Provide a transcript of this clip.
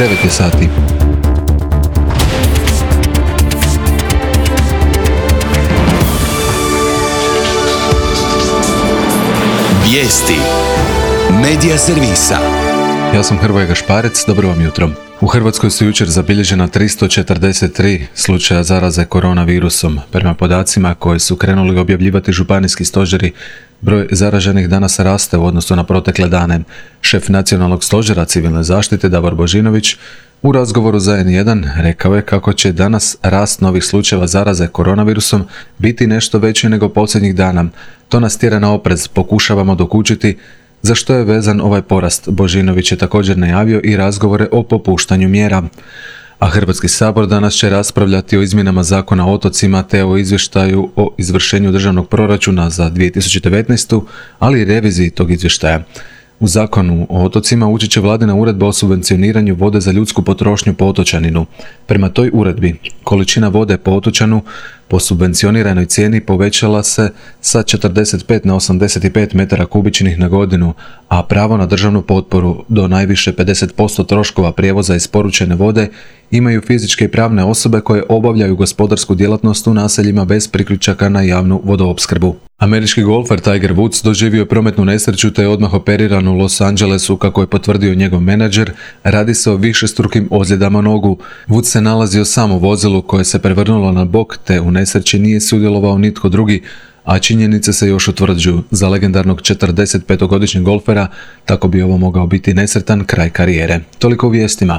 9 je sati. Vijesti Medija servisa. Ja sam Hrvoje Gašparec, dobro vam jutro. U Hrvatskoj su jučer zabilježena 343 slučaja zaraze koronavirusom. Prema podacima koje su krenuli objavljivati županijski stožeri, broj zaraženih danas raste u odnosu na protekle dane. Šef Nacionalnog stožera civilne zaštite Davor Božinović u razgovoru za N1 rekao je kako će danas rast novih slučajeva zaraze koronavirusom biti nešto veći nego posljednjih dana. To nas tjera na oprez, pokušavamo dokučiti za što je vezan ovaj porast. Božinović je također najavio i razgovore o popuštanju mjera. A Hrvatski sabor danas će raspravljati o izmjenama Zakona o otocima te o izvještaju o izvršenju državnog proračuna za 2019. ali i reviziji tog izvještaja. U Zakonu o otocima ući će vladina uredba o subvencioniranju vode za ljudsku potrošnju po otočaninu. Prema toj uredbi, količina vode po otočanu po subvencioniranoj cijeni povećala se sa 45 na 85 metara kubičnih na godinu, a pravo na državnu potporu do najviše 50% troškova prijevoza isporučene vode imaju fizičke i pravne osobe koje obavljaju gospodarsku djelatnost u naseljima bez priključaka na javnu vodoopskrbu. Američki golfer Tiger Woods doživio prometnu nesreću te je odmah operiran u Los Angelesu, kako je potvrdio njegov menadžer. Radi se o višestrukim ozljedama nogu. Woods se nalazio sam u vozilu koje se prevrnulo na bok te u nesreći nije sudjelovao nitko drugi, a činjenice se još utvrđuju. Za legendarnog 45-godišnjeg golfera tako bi ovo mogao biti nesretan kraj karijere. Toliko u vijestima.